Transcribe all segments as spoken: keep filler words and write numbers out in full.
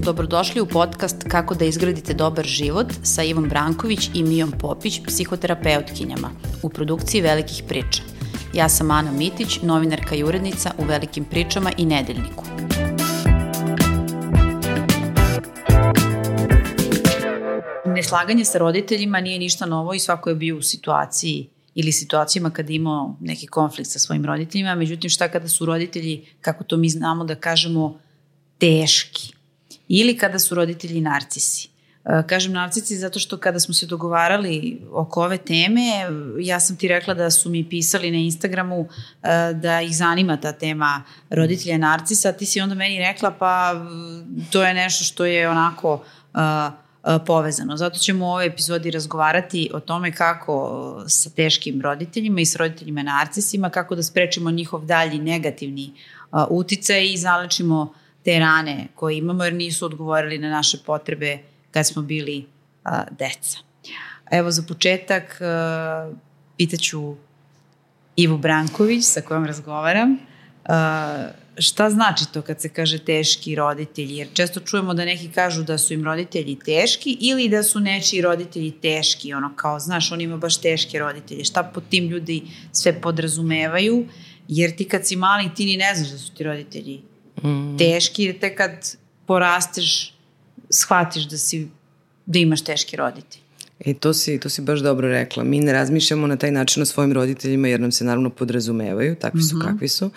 Dobrodošli u podcast Kako da izgradite dobar život sa Ivom Branković i Mijom Popić, psihoterapeutkinjama, u produkciji Velikih priča. Ja sam Ana Mitić, novinarka i urednica u Velikim pričama i Nedeljniku. Neslaganje sa roditeljima nije ništa novo i svako je bio u situaciji ili situacijama kada imao neki konflikt sa svojim roditeljima. Međutim, šta kada su roditelji, kako to mi znamo da kažemo, teški? Ili kada su roditelji narcisi. Kažem narcisi zato što kada smo se dogovarali oko ove teme, ja sam ti rekla da su mi pisali na Instagramu da ih zanima ta tema roditelja narcisa, a ti si onda meni rekla pa to je nešto što je onako povezano. Zato ćemo u ovoj epizodi razgovarati o tome kako sa teškim roditeljima i s roditeljima narcisima, kako da sprečimo njihov dalji negativni uticaj i zalečimo te rane koje imamo jer nisu odgovorili na naše potrebe kad smo bili a, deca. Evo za početak a, pitaću Ivu Branković sa kojom razgovaram. A, šta znači to kad se kaže teški roditelji? Jer često čujemo da neki kažu da su im roditelji teški ili da su nečiji roditelji teški. Ono kao, znaš, oni imaju baš teške roditelje. Šta pod tim ljudi sve podrazumevaju? Jer ti kad si mali ti ni ne znaš da su ti roditelji Mm. teški, jer te kad porasteš shvatiš da si da imaš teški roditelj. E, to si, to si baš dobro rekla. Mi ne razmišljamo na taj način o svojim roditeljima jer nam se naravno podrazumevaju, takvi su mm-hmm. kakvi su.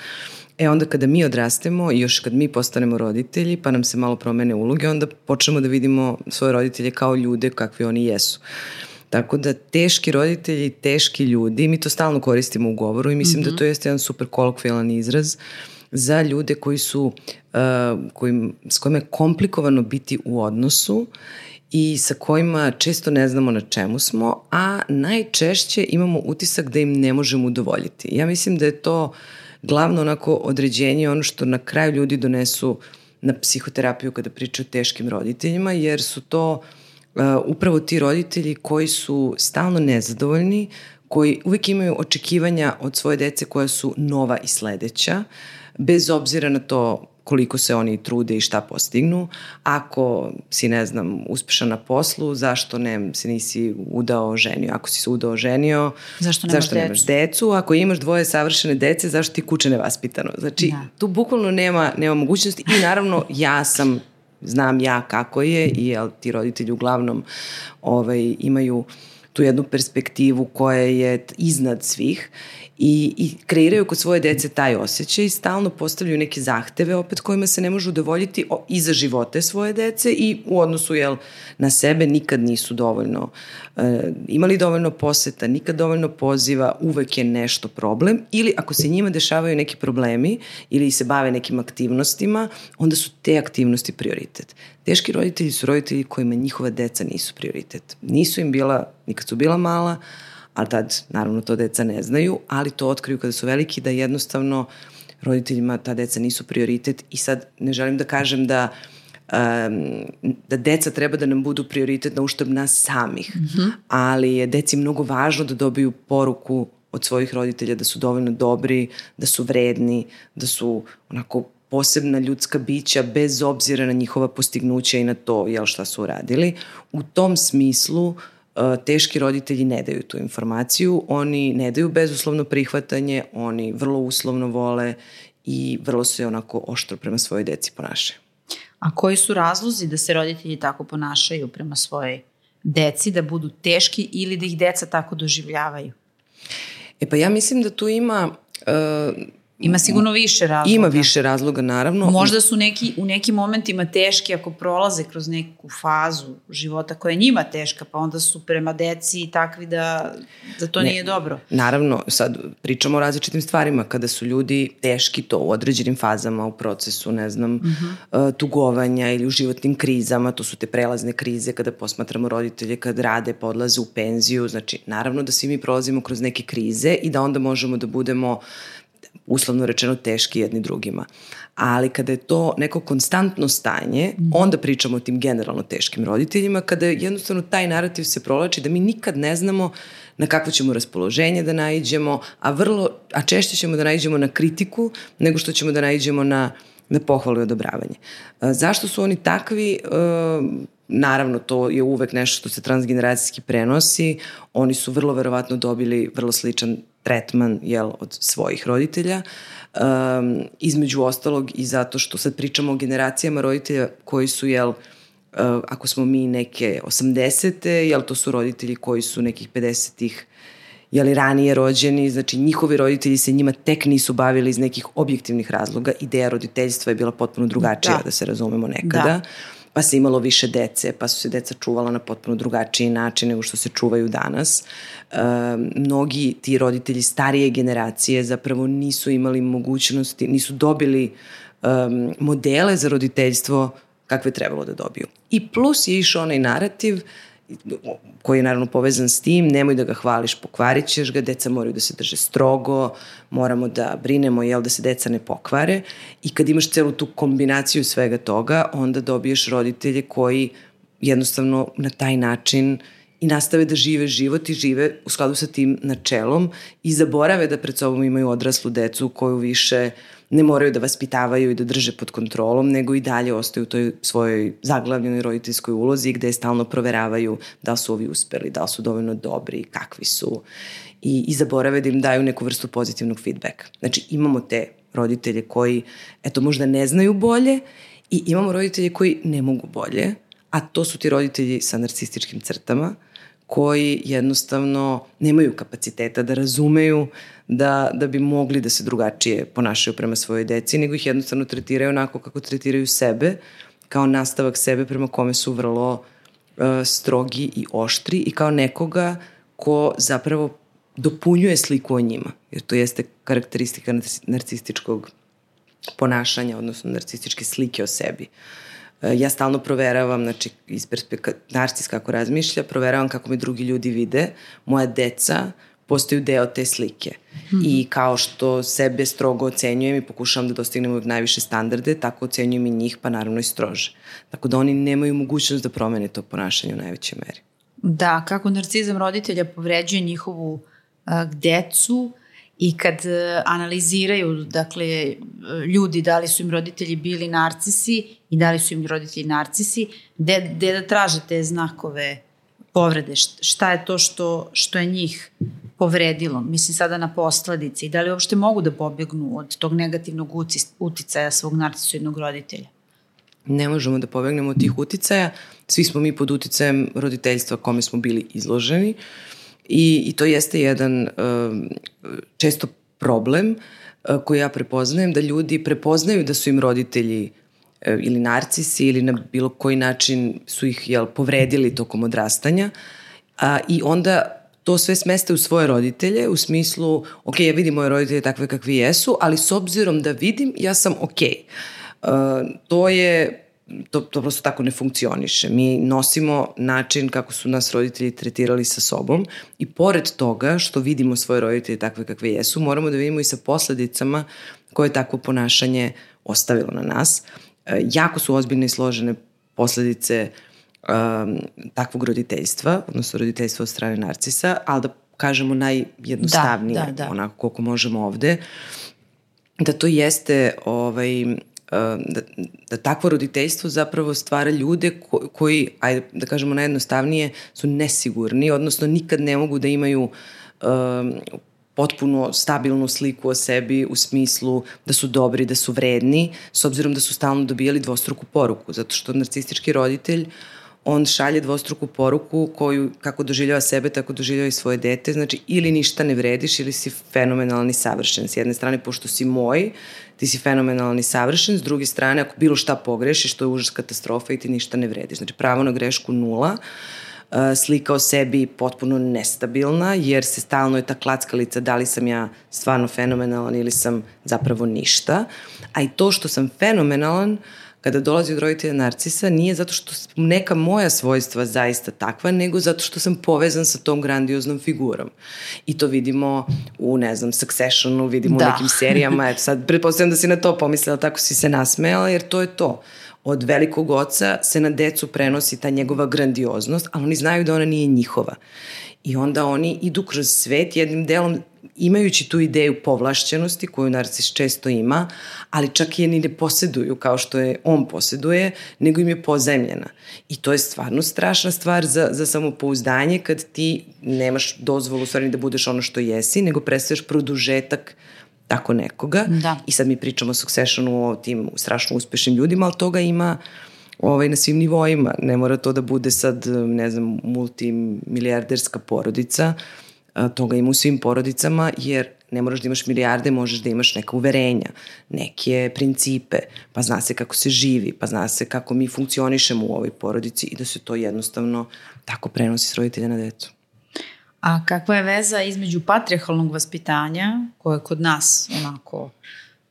E onda kada mi odrastemo i još kad mi postanemo roditelji pa nam se malo promene uloge, onda počnemo da vidimo svoje roditelje kao ljude kakvi oni jesu. Tako da teški roditelji, teški ljudi, mi to stalno koristimo u govoru i mislim mm-hmm. da to jeste jedan super kolokvijalan izraz za ljude koji su, uh, kojim, s kojima je komplikovano biti u odnosu i sa kojima često ne znamo na čemu smo, a najčešće imamo utisak da im ne možemo udovoljiti. Ja mislim da je to glavno onako određenje, ono što na kraju ljudi donesu na psihoterapiju kada pričaju o teškim roditeljima, jer su to uh, upravo ti roditelji koji su stalno nezadovoljni, koji uvijek imaju očekivanja od svoje dece koja su nova i sledeća, bez obzira na to koliko se oni trude i šta postignu. Ako si, ne znam, uspešan na poslu, zašto ne, se nisi udao ženio? Ako si se udao ženio, zašto nemaš, zašto nemaš decu? Ako imaš dvoje savršene dece, zašto ti kuće nevaspitano? Znači, da. Tu bukvalno nema, nema mogućnosti i naravno ja sam, znam ja kako je i jel, ti roditelji uglavnom ovaj, imaju tu jednu perspektivu koja je iznad svih i, i kreiraju kod svoje dece taj osjećaj i stalno postavljaju neke zahteve opet kojima se ne može udovoljiti i za živote svoje dece i u odnosu jel, na sebe nikad nisu dovoljno e, imali dovoljno poseta, nikad dovoljno poziva, uvek je nešto problem ili ako se njima dešavaju neki problemi ili se bave nekim aktivnostima, onda su te aktivnosti prioritet. Teški roditelji su roditelji kojima njihova deca nisu prioritet. Nisu im bila, nikad su bila mala, ali tad naravno to deca ne znaju, ali to otkriju kada su veliki da jednostavno roditeljima ta deca nisu prioritet i sad ne želim da kažem da um, da deca treba da nam budu prioritet na uštrb nas samih, mm-hmm. ali je deci mnogo važno da dobiju poruku od svojih roditelja da su dovoljno dobri, da su vredni, da su onako posebna ljudska bića bez obzira na njihova postignuća i na to jel, šta su uradili. U tom smislu teški roditelji ne daju tu informaciju, oni ne daju bezuslovno prihvatanje, oni vrlo uslovno vole i vrlo se onako oštro prema svojoj deci ponašaju. A koji su razlozi da se roditelji tako ponašaju prema svojoj deci, da budu teški ili da ih deca tako doživljavaju? E pa ja mislim da tu ima... Uh, Ima sigurno više razloga. Ima više razloga, naravno. Možda su neki, u nekim momentima teški ako prolaze kroz neku fazu života koja je njima teška, pa onda su prema deci takvi da, da to ne, nije dobro. Naravno, sad pričamo o različitim stvarima. Kada su ljudi teški to u određenim fazama u procesu, ne znam, uh-huh. tugovanja ili u životnim krizama, to su te prelazne krize kada posmatramo roditelje, kad rade, pa odlaze u penziju. Znači, naravno da svi mi prolazimo kroz neke krize i da onda možemo da budemo uslovno rečeno teški jedni drugima. Ali kada je to neko konstantno stanje, mm. onda pričamo o tim generalno teškim roditeljima, kada jednostavno taj narativ se provlači da mi nikad ne znamo na kakvo ćemo raspoloženje da naiđemo, a vrlo, a češće ćemo da naiđemo na kritiku nego što ćemo da naiđemo na, na pohvalu i odobravanje. A, zašto su oni takvi? A, naravno, to je uvek nešto što se transgeneracijski prenosi. Oni su vrlo verovatno dobili vrlo sličan tretman, jel, od svojih roditelja. Um, između ostalog i zato što sad pričamo o generacijama roditelja koji su, jel, uh, ako smo mi neke osamdesete, jel, to su roditelji koji su nekih pedesetih, jel, ranije rođeni, znači njihovi roditelji se njima tek nisu bavili iz nekih objektivnih razloga. Ideja roditeljstva je bila potpuno drugačija, da, da se razumemo nekada. Da. Pa se imalo više dece, pa su se deca čuvala na potpuno drugačiji način nego što se čuvaju danas. E, mnogi ti roditelji starije generacije zapravo nisu imali mogućnosti, nisu dobili um, modele za roditeljstvo kakve trebalo da dobiju. I plus je išao onaj narativ koji je naravno povezan s tim, nemoj da ga hvališ, pokvarit ćeš ga, deca moraju da se drže strogo, moramo da brinemo, jel, da se deca ne pokvare, i kad imaš celu tu kombinaciju svega toga, onda dobiješ roditelje koji jednostavno na taj način i nastave da žive život i žive u skladu sa tim načelom i zaborave da pred sobom imaju odraslu decu koju više ne moraju da vaspitavaju i da drže pod kontrolom, nego i dalje ostaju u toj svojoj zaglavljenoj roditeljskoj ulozi gde stalno proveravaju da li su ovi uspeli, da li su dovoljno dobri, kakvi su, i, i zaborave da im daju neku vrstu pozitivnog feedbacka. Znači imamo te roditelje koji, eto, možda ne znaju bolje, i imamo roditelje koji ne mogu bolje, a to su ti roditelji sa narcističkim crtama, koji jednostavno nemaju kapaciteta da razumeju da, da bi mogli da se drugačije ponašaju prema svojoj deci, nego ih jednostavno tretiraju onako kako tretiraju sebe, kao nastavak sebe prema kome su vrlo uh, strogi i oštri, i kao nekoga ko zapravo dopunjuje sliku o njima, jer to jeste karakteristika narcističkog ponašanja, odnosno narcističke slike o sebi. Ja stalno proveravam, znači iz perspektive narcis kako razmišlja, proveravam kako me drugi ljudi vide, moja deca postaju deo te slike. Mm-hmm. I kao što sebe strogo ocenjujem i pokušavam da dostignem uvijek najviše standarde, tako ocenjujem i njih, pa naravno i strože. Tako da oni nemaju mogućnost da promene to ponašanje u najvećoj meri. Da, kako narcizam roditelja povređuje njihovu uh, decu, i kad uh, analiziraju, dakle, ljudi da li su im roditelji bili narcisi i da li su im roditelji narcisi, gde, gde da traže te znakove povrede, šta je to što, što je njih povredilo, mislim sada na posledice, i da li uopšte mogu da pobegnu od tog negativnog uticaja svog narcisoidnog roditelja? Ne možemo da pobegnemo od tih uticaja, svi smo mi pod uticajem roditeljstva kome smo bili izloženi. I, i to jeste jedan uh, često problem uh, koji ja prepoznajem, da ljudi prepoznaju da su im roditelji uh, ili narcisi ili na bilo koji način su ih, jel, povredili tokom odrastanja, uh, i onda to sve smeste u svoje roditelje u smislu, ok, ja vidim moje roditelje takve kakvi jesu, ali s obzirom da vidim, ja sam ok. Uh, to je To, to prosto tako ne funkcioniše. Mi nosimo način kako su nas roditelji tretirali sa sobom, i pored toga što vidimo svoje roditelje takve kakve jesu, moramo da vidimo i sa posledicama koje takvo ponašanje ostavilo na nas. E, jako su ozbiljne i složene posledice um, takvog roditeljstva, odnosno roditeljstva od strane narcisa, ali da kažemo najjednostavnije, da, da, da. onako koliko možemo ovde, da to jeste ovaj, Da, da takvo roditeljstvo zapravo stvara ljude ko, koji, ajde da kažemo najjednostavnije, su nesigurni, odnosno nikad ne mogu da imaju um, potpuno stabilnu sliku o sebi u smislu da su dobri, da su vredni, s obzirom da su stalno dobijali dvostruku poruku, zato što narcistički roditelj, on šalje dvostruku poruku koju, kako doživljava sebe, tako doživljava i svoje dete. Znači, ili ništa ne vrediš, ili si fenomenalni savršen. S jedne strane, pošto si moj, ti si fenomenalni savršen. S druge strane, ako bilo šta pogrešiš, to je užas, katastrofa i ti ništa ne vrediš. Znači, pravo na grešku nula. Slika o sebi potpuno nestabilna, jer se stalno je ta klackalica da li sam ja stvarno fenomenalan ili sam zapravo ništa. A i to što sam fenomenalan, kada dolazi od roditelja narcisa nije zato što neka moja svojstva zaista takva, nego zato što sam povezan sa tom grandioznom figurom. I to vidimo u, ne znam, Successionu, vidimo da. u nekim serijama. Eto, sad pretpostavljam da si na to pomislila, tako si se nasmejala, jer to je to. Od velikog oca se na decu prenosi ta njegova grandioznost, ali oni znaju da ona nije njihova. I onda oni idu kroz svet jednim delom imajući tu ideju povlašćenosti koju narcis često ima, ali čak je ni ne posjeduju kao što je on posjeduje, nego im je pozajmljena. I to je stvarno strašna stvar za, za samopouzdanje kad ti nemaš dozvolu u stvari da budeš ono što jesi, nego predstavljaš produžetak tako nekoga. Da. I sad mi pričamo o Successionu, o tim strašno uspešnim ljudima, ali toga ima ovaj, na svim nivoima. Ne mora to da bude sad, ne znam, multimilijarderska porodica, toga ima u svim porodicama, jer ne moraš da imaš milijarde, možeš da imaš neka uverenja, neke principe, pa zna se kako se živi, pa zna se kako mi funkcionišemo u ovoj porodici i da se to jednostavno tako prenosi s roditelja na decu. A kakva je veza između patrijarhalnog vaspitanja, koje je kod nas onako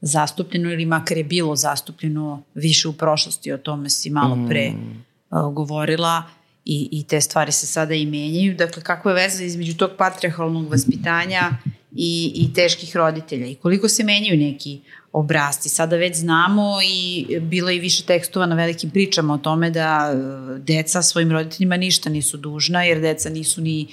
zastupljeno ili makar je bilo zastupljeno više u prošlosti, o tome si malo pre mm. uh, govorila, I, i te stvari se sada i menjaju. Dakle, kakva je veza između tog patrijarhalnog vaspitanja i, i teških roditelja i koliko se menjaju neki obrasci. Sada već znamo i bilo je više tekstova na velikim pričama o tome da deca svojim roditeljima ništa nisu dužna, jer deca nisu ni,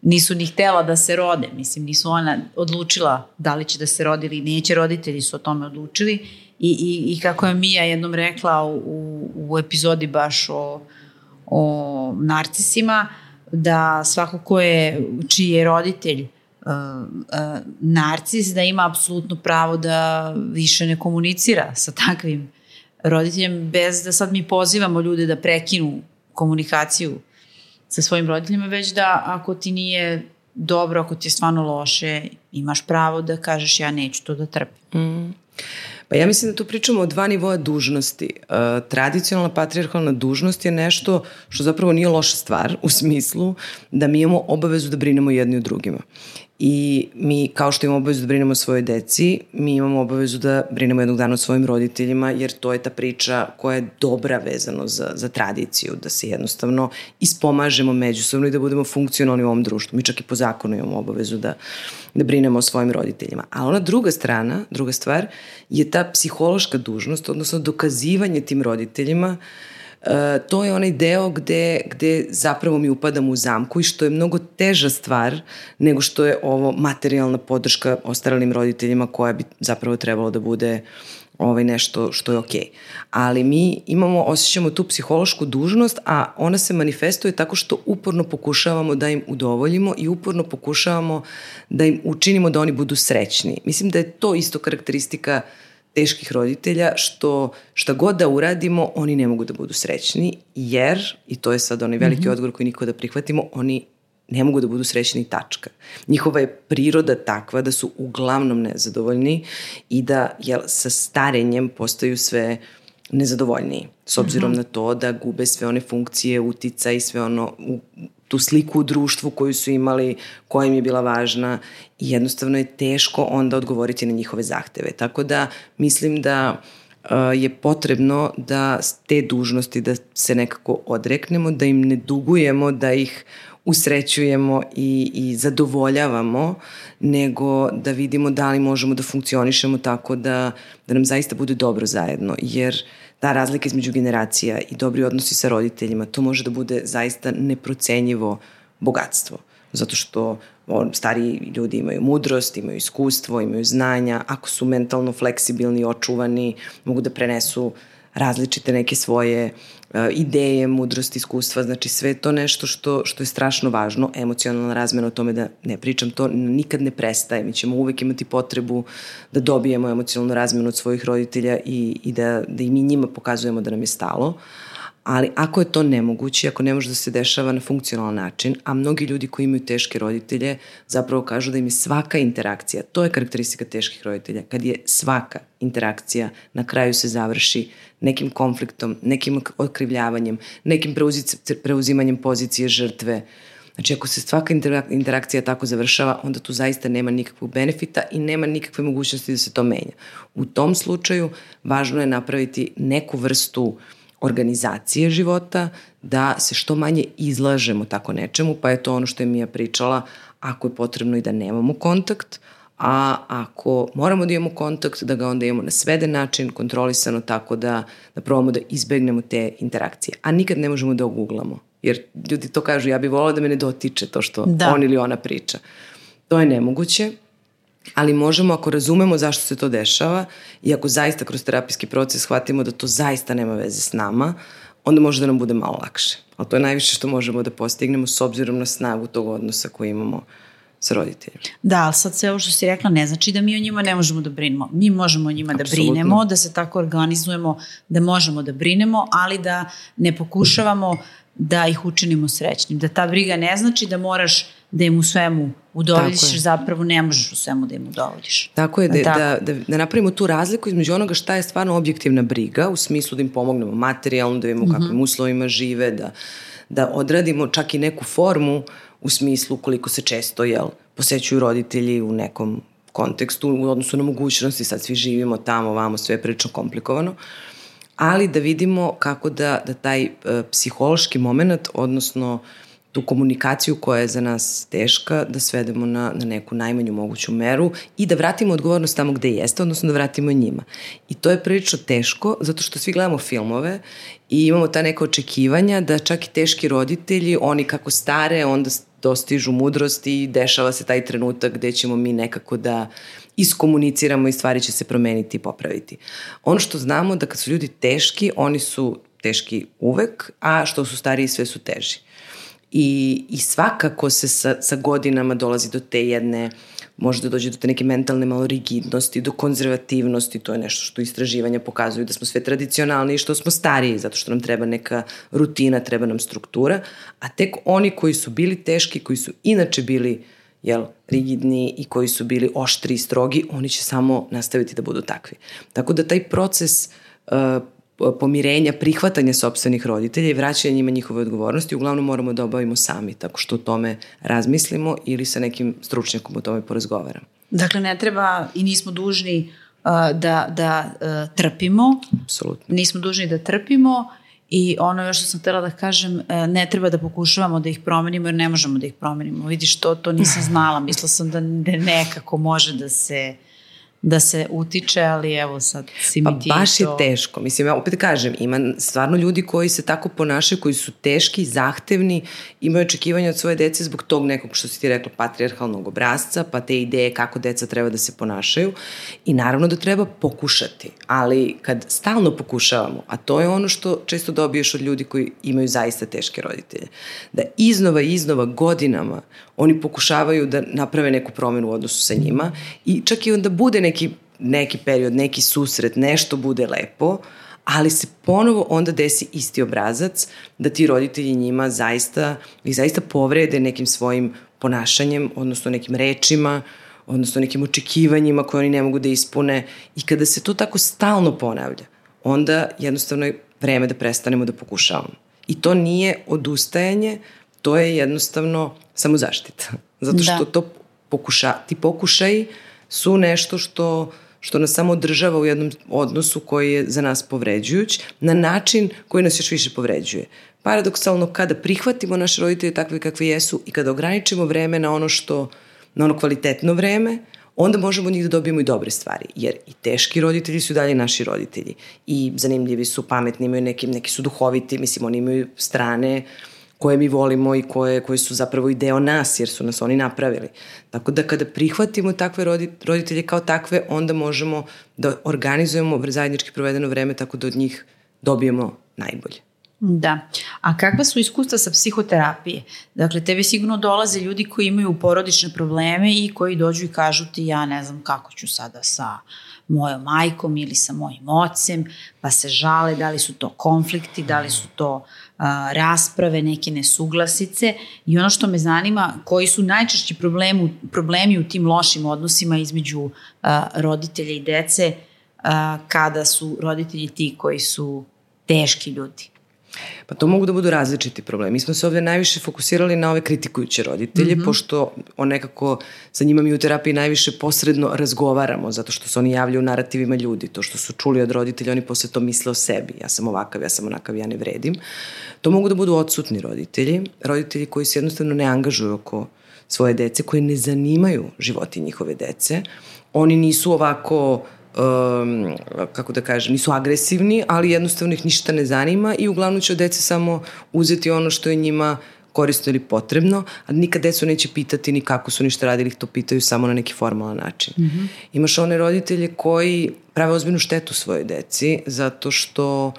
nisu ni htela da se rode. Mislim, nisu ona odlučila da li će da se rodi ili neće, roditelji su o tome odlučili. I, i, i kako je Mija jednom rekla u, u epizodi baš o o narcisima, da svako ko je, čiji je roditelj uh, uh, narcis, da ima apsolutno pravo da više ne komunicira sa takvim roditeljem, bez da sad mi pozivamo ljude da prekinu komunikaciju sa svojim roditeljima, već da ako ti nije dobro, ako ti je stvarno loše, imaš pravo da kažeš ja neću to da trpim. Mm. Pa ja mislim da tu pričamo o dva nivoa dužnosti. Uh, tradicionalna patrijarhalna dužnost je nešto što zapravo nije loša stvar u smislu da mi imamo obavezu da brinemo jedni o drugima. I mi, kao što imamo obavezu da brinemo o svojoj deci, mi imamo obavezu da brinemo jednog dana o svojim roditeljima, jer to je ta priča koja je dobra vezano za, za tradiciju, da se jednostavno ispomažemo međusobno i da budemo funkcionalni u ovom društvu. Mi čak i po zakonu imamo obavezu da, da brinemo o svojim roditeljima. A ona druga strana, druga stvar, je ta psihološka dužnost, odnosno dokazivanje tim roditeljima. Uh, to je onaj deo gde, gde zapravo mi upadamo u zamku i što je mnogo teža stvar nego što je ovo materijalna podrška ostaralim roditeljima koja bi zapravo trebalo da bude ovaj nešto što je okej. Ali mi imamo, osjećamo tu psihološku dužnost, a ona se manifestuje tako što uporno pokušavamo da im udovoljimo i uporno pokušavamo da im učinimo da oni budu srećni. Mislim da je to isto karakteristika teških roditelja, što šta god da uradimo, oni ne mogu da budu srećni, jer, i to je sad onaj veliki mm-hmm. odgovor koji niko da prihvatimo, oni ne mogu da budu srećni, tačka. Njihova je priroda takva da su uglavnom nezadovoljni i da jel, sa starenjem postaju sve nezadovoljniji, s obzirom mm-hmm. na to da gube sve one funkcije, utica i sve ono, u, tu sliku u društvu koju su imali, koja im je bila važna i jednostavno je teško onda odgovoriti na njihove zahteve. Tako da mislim da uh, je potrebno da te dužnosti da se nekako odreknemo, da im ne dugujemo, da ih usrećujemo i, i zadovoljavamo, nego da vidimo da li možemo da funkcionišemo tako da, da nam zaista bude dobro zajedno, jer ta razlika između generacija i dobri odnosi sa roditeljima, to može da bude zaista neprocenjivo bogatstvo. Zato što on, stariji ljudi imaju mudrost, imaju iskustvo, imaju znanja, ako su mentalno fleksibilni, očuvani, mogu da prenesu različite neke svoje uh, ideje, mudrost, iskustva, znači sve to nešto što, što je strašno važno, emocionalna razmena, o tome da ne pričam, to nikad ne prestaje, mi ćemo uvek imati potrebu da dobijemo emocionalnu razmenu od svojih roditelja i, i da, da i mi njima pokazujemo da nam je stalo, ali ako je to nemoguće, ako ne može da se dešava na funkcionalan način, a mnogi ljudi koji imaju teške roditelje zapravo kažu da im je svaka interakcija, to je karakteristika teških roditelja, kad je svaka interakcija na kraju se završi nekim konfliktom, nekim okrivljavanjem, nekim preuzimanjem pozicije žrtve, Znači, ako se svaka interakcija tako završava, onda tu zaista nema nikakvog benefita i nema nikakve mogućnosti da se to menja. U tom slučaju, važno je napraviti neku vrstu organizacije života, da se što manje izlažemo tako nečemu, pa je to ono što je Mija pričala, ako je potrebno i da nemamo kontakt, a ako moramo da imamo kontakt, da ga onda imamo na sveden način, kontrolisano, tako da, da probamo da izbegnemo te interakcije. A nikad ne možemo da oguglamo, jer ljudi to kažu, ja bih volila da me ne dotiče to što da. on ili ona priča. To je nemoguće, ali možemo, ako razumemo zašto se to dešava i ako zaista kroz terapijski proces shvatimo da to zaista nema veze s nama, onda može da nam bude malo lakše. Ali to je najviše što možemo da postignemo s obzirom na snagu tog odnosa koji imamo sa roditeljima. Da, ali sad sve ovo što si rekla ne znači da mi o njima ne možemo da brinemo. Mi možemo o njima Absolutno. da brinemo, da se tako organizujemo, da možemo da brinemo, ali da ne pokušavamo da ih učinimo srećnim. Da ta briga ne znači da moraš da im u svemu udovoljiš, zapravo ne možeš u svemu da im udovoljiš. Tako je, da, tako. Da, da, da napravimo tu razliku između onoga šta je stvarno objektivna briga, u smislu da im pomognemo materijalno, da vidimo mm-hmm. kakvim uslovima žive, da, da odradimo čak i neku formu u smislu koliko se često jel, posećuju roditelji u nekom kontekstu, u odnosu na mogućnosti, sad svi živimo tamo, vamo, sve je prilično komplikovano, ali da vidimo kako da, da taj uh, psihološki moment, odnosno tu komunikaciju koja je za nas teška, da svedemo na, na neku najmanju moguću meru i da vratimo odgovornost tamo gde jeste, odnosno da vratimo njima. I to je prilično teško, zato što svi gledamo filmove i imamo ta neka očekivanja da čak i teški roditelji, oni kako stare, onda dostižu mudrost i dešava se taj trenutak gde ćemo mi nekako da iskomuniciramo i stvari će se promeniti i popraviti. Ono što znamo da kad su ljudi teški, oni su teški uvek, a što su stariji sve su teži. I, i svakako se sa, sa godinama dolazi do te jedne, možda dođe do te neke mentalne malo rigidnosti, do konzervativnosti, to je nešto što istraživanja pokazuju da smo sve tradicionalni i što smo stariji, zato što nam treba neka rutina, treba nam struktura, a tek oni koji su bili teški, koji su inače bili jel, rigidni i koji su bili oštri i strogi, oni će samo nastaviti da budu takvi. Tako da taj proces uh, pomirenja, prihvatanja sopstvenih roditelja i vraćanja njima njihove odgovornosti uglavnom moramo da obavimo sami, tako što o tome razmislimo ili sa nekim stručnjakom o tome porazgovaramo. Dakle, ne treba i nismo dužni uh, da, da uh, trpimo. Apsolutno. Nismo dužni da trpimo i ono još što sam htjela da kažem, uh, ne treba da pokušavamo da ih promenimo jer ne možemo da ih promenimo. Vidiš, to, to nisam znala. Mislila sam da nekako može da se da se utiče, ali evo sad si mi ti Pa baš to... je teško. Mislim, ja opet kažem, ima stvarno ljudi koji se tako ponašaju, koji su teški, zahtevni, imaju očekivanja od svoje dece zbog tog nekog, što si ti rekla, patrijarhalnog obrazca, pa te ideje kako deca treba da se ponašaju. I naravno da treba pokušati, ali kad stalno pokušavamo, a to je ono što često dobiješ od ljudi koji imaju zaista teške roditelje, da iznova i iznova godinama oni pokušavaju da naprave neku promenu u odnosu sa njima i čak i onda bude neki, neki period, neki susret, nešto bude lepo, ali se ponovo onda desi isti obrazac da ti roditelji njima zaista, ih zaista povrede nekim svojim ponašanjem, odnosno nekim rečima, odnosno nekim očekivanjima koje oni ne mogu da ispune i kada se to tako stalno ponavlja, onda jednostavno je vreme da prestanemo da pokušavamo. I to nije odustajanje, to je jednostavno samozaštita. Zato što da. to pokuša, ti pokušaji su nešto što, što nas samo održava u jednom odnosu koji je za nas povređujuć, na način koji nas još više povređuje. Paradoksalno, kada prihvatimo naše roditelje takve kakve jesu i kada ograničimo vreme na ono što, na ono kvalitetno vreme, onda možemo od njih da dobijemo i dobre stvari. Jer i teški roditelji su dalje naši roditelji. I zanimljivi su, pametni, imaju neki, neki su duhoviti, mislim, oni imaju strane koje mi volimo i koje, koje su zapravo i deo nas, jer su nas oni napravili. Tako da kada prihvatimo takve roditelje kao takve, onda možemo da organizujemo zajednički provedeno vreme tako da od njih dobijemo najbolje. Da. A kakva su iskustva sa psihoterapije? Dakle, tebi sigurno dolaze ljudi koji imaju porodične probleme i koji dođu i kažu ti ja ne znam kako ću sada sa mojom majkom ili sa mojim ocem, pa se žale da li su to konflikti, da li su to uh, rasprave, neke nesuglasice i ono što me zanima, koji su najčešći problemi, problemi u tim lošim odnosima između uh, roditelja i dece uh, kada su roditelji ti koji su teški ljudi? Pa to mogu da budu različiti problemi. Mi smo se ovdje najviše fokusirali na ove kritikujuće roditelje, mm-hmm. pošto on nekako sa njima mi u terapiji najviše posredno razgovaramo, zato što se oni javljaju u narativima ljudi. To što su čuli od roditelja, oni posle to misle o sebi. Ja sam ovakav, ja sam onakav, ja ne vredim. To mogu da budu odsutni roditelji, roditelji koji se jednostavno ne angažuju oko svoje dece, koji ne zanimaju životi njihove dece. Oni nisu ovako... Um, kako da kažem, nisu agresivni, ali jednostavno ih ništa ne zanima i uglavnom će od dece samo uzeti ono što je njima korisno ili potrebno, a nikad decu neće pitati ni kako su ništa radili, ih to pitaju samo na neki formalan način. Mm-hmm. Imaš one roditelje koji prave ozbiljnu štetu svojoj deci zato što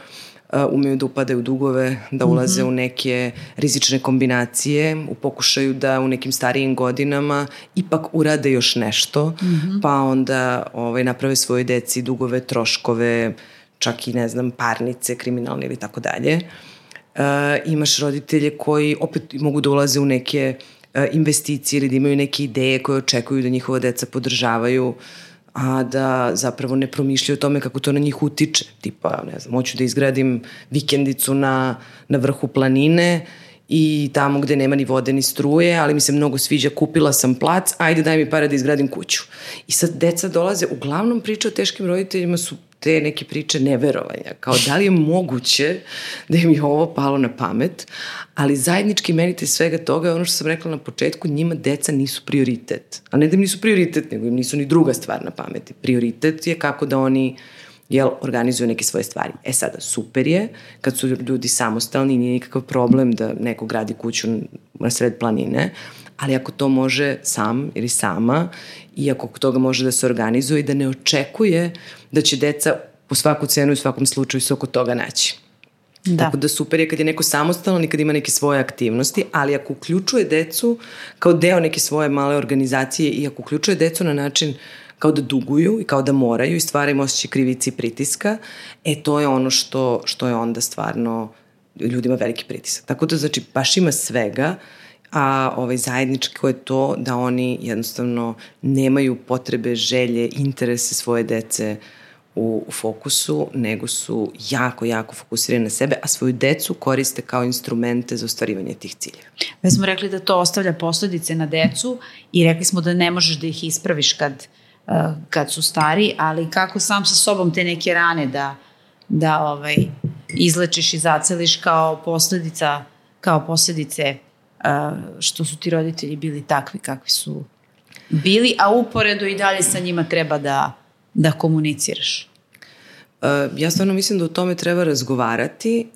Uh, umeju da upadaju u dugove, da ulaze mm-hmm. u neke rizične kombinacije, u pokušaju da u nekim starijim godinama ipak urade još nešto, mm-hmm. pa onda ovaj, naprave svoje deci dugove, troškove, čak i ne znam, parnice, kriminalne ili tako dalje. Uh, imaš roditelje koji opet mogu da ulaze u neke uh, investicije ili da imaju neke ideje koje očekuju da njihova deca podržavaju, a da zapravo ne promišljaju o tome kako to na njih utiče. Tipa, ne znam, hoću da izgradim vikendicu na, na vrhu planine i tamo gde nema ni vode ni struje, ali mi se mnogo sviđa, kupila sam plac, ajde daj mi pare da izgradim kuću. I sad deca dolaze, uglavnom priče o teškim roditeljima su te neke priče neverovanja, kao da li je moguće da im je ovo palo na pamet, ali zajednički imenitelj svega toga je ono što sam rekla na početku, njima deca nisu prioritet. A ne da im nisu prioritet, nego im nisu ni druga stvar na pameti. Prioritet je kako da oni jel, organizuju neke svoje stvari. E sada, super je, kad su ljudi samostalni, nije nikakav problem da neko gradi kuću na sred planine, ali ako to može sam ili sama i ako toga može da se organizuje i da ne očekuje da će deca po svaku cenu i u svakom slučaju se oko toga naći. Da. Tako da super je kad je neko samostalan i kad ima neke svoje aktivnosti, ali ako uključuje decu kao deo neke svoje male organizacije i ako uključuje decu na način kao da duguju i kao da moraju i stvara im osjećaj krivice i pritiska, e to je ono što, što je onda stvarno ljudima veliki pritisak. Tako da znači baš ima svega, a ovaj, zajedničko je to da oni jednostavno nemaju potrebe, želje, interese svoje dece u, u fokusu, nego su jako, jako fokusirani na sebe, a svoju decu koriste kao instrumente za ostvarivanje tih ciljeva. Već smo rekli da to ostavlja posledice na decu i rekli smo da ne možeš da ih ispraviš kad, uh, kad su stari, ali kako sam sa sobom te neke rane da, da ovaj, izlečiš i zaceliš kao posledica, kao posledice što su ti roditelji bili takvi kakvi su bili, a uporedo i dalje sa njima treba da, da komuniciraš. Ja stvarno mislim da o tome treba razgovarati.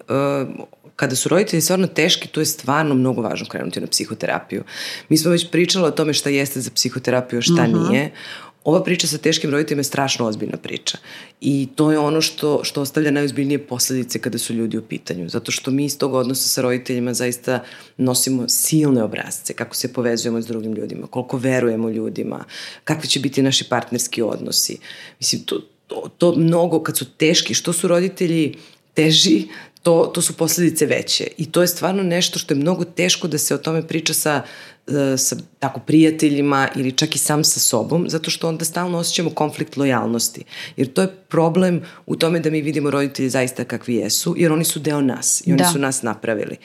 Kada su roditelji stvarno teški, to je stvarno mnogo važno krenuti na psihoterapiju. Mi smo već pričali o tome šta jeste za psihoterapiju, a šta uh-huh. nije. Ova priča sa teškim roditeljima je strašno ozbiljna priča i to je ono što, što ostavlja najozbiljnije posledice kada su ljudi u pitanju, zato što mi iz tog odnosa sa roditeljima zaista nosimo silne obrazce, kako se povezujemo s drugim ljudima, koliko verujemo ljudima, kakvi će biti naši partnerski odnosi. Mislim, to, to, to mnogo, kad su teški, što su roditelji teži, to, to su posledice veće i to je stvarno nešto što je mnogo teško da se o tome priča sa sa tako prijateljima ili čak i sam sa sobom, zato što onda stalno osjećamo konflikt lojalnosti. Jer to je problem u tome da mi vidimo roditelji zaista kakvi jesu, jer oni su deo nas i oni da. su nas napravili.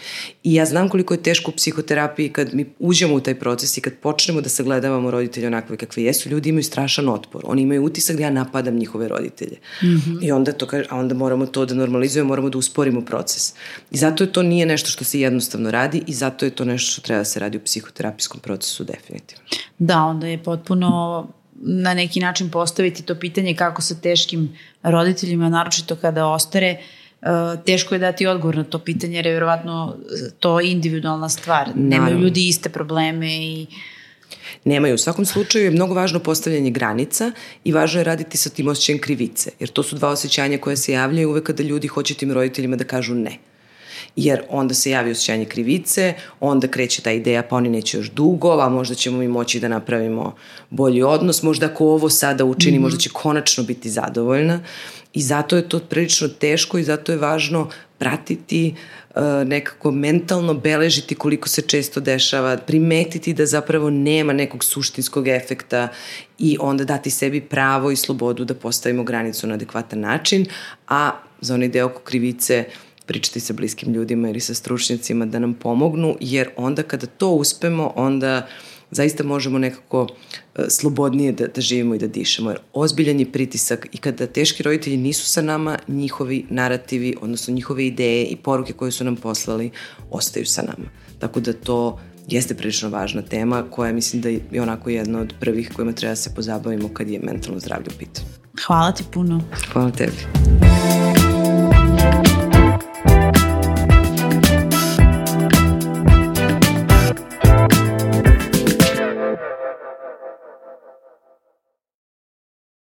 I ja znam koliko je teško u psihoterapiji kad mi uđemo u taj proces i kad počnemo da sagledavamo roditelje onakve kakvi jesu, ljudi imaju strašan otpor. Oni imaju utisak da ja napadam njihove roditelje. Mm-hmm. I onda, to, a onda moramo to da normalizujemo, moramo da usporimo proces. I zato je to nije nešto što se jednostavno radi i zato je to nešto što treba da se radi u psihoterapiji terapijskom procesu definitivno. Da, onda je potpuno na neki način postaviti to pitanje kako sa teškim roditeljima, naročito kada ostare, teško je dati odgovor na to pitanje, jer je vjerovatno to individualna stvar. Naravno. Nemaju ljudi iste probleme i... Nemaju. U svakom slučaju je mnogo važno postavljanje granica i važno je raditi sa tim osjećajem krivice, jer to su dva osjećanja koje se javljaju uvek kada ljudi hoće tim roditeljima da kažu ne. Jer onda se javi osjećanje krivice, onda kreće ta ideja pa oni neće još dugo, a možda ćemo mi moći da napravimo bolji odnos, možda ako ovo sada učini, mm-hmm. možda će konačno biti zadovoljna i zato je to prilično teško i zato je važno pratiti, nekako mentalno beležiti koliko se često dešava, primetiti da zapravo nema nekog suštinskog efekta i onda dati sebi pravo i slobodu da postavimo granicu na adekvatan način, a za onaj deo oko krivice pričati sa bliskim ljudima ili sa stručnjacima da nam pomognu, jer onda kada to uspemo, onda zaista možemo nekako slobodnije da, da živimo i da dišemo. Jer ozbiljan je pritisak i kada teški roditelji nisu sa nama, njihovi narativi, odnosno njihove ideje i poruke koje su nam poslali, ostaju sa nama. Tako da to jeste prilično važna tema koja mislim da je onako jedna od prvih kojima treba da se pozabavimo kad je mentalno zdravlje u pitanju. Hvala ti puno. Hvala tebi.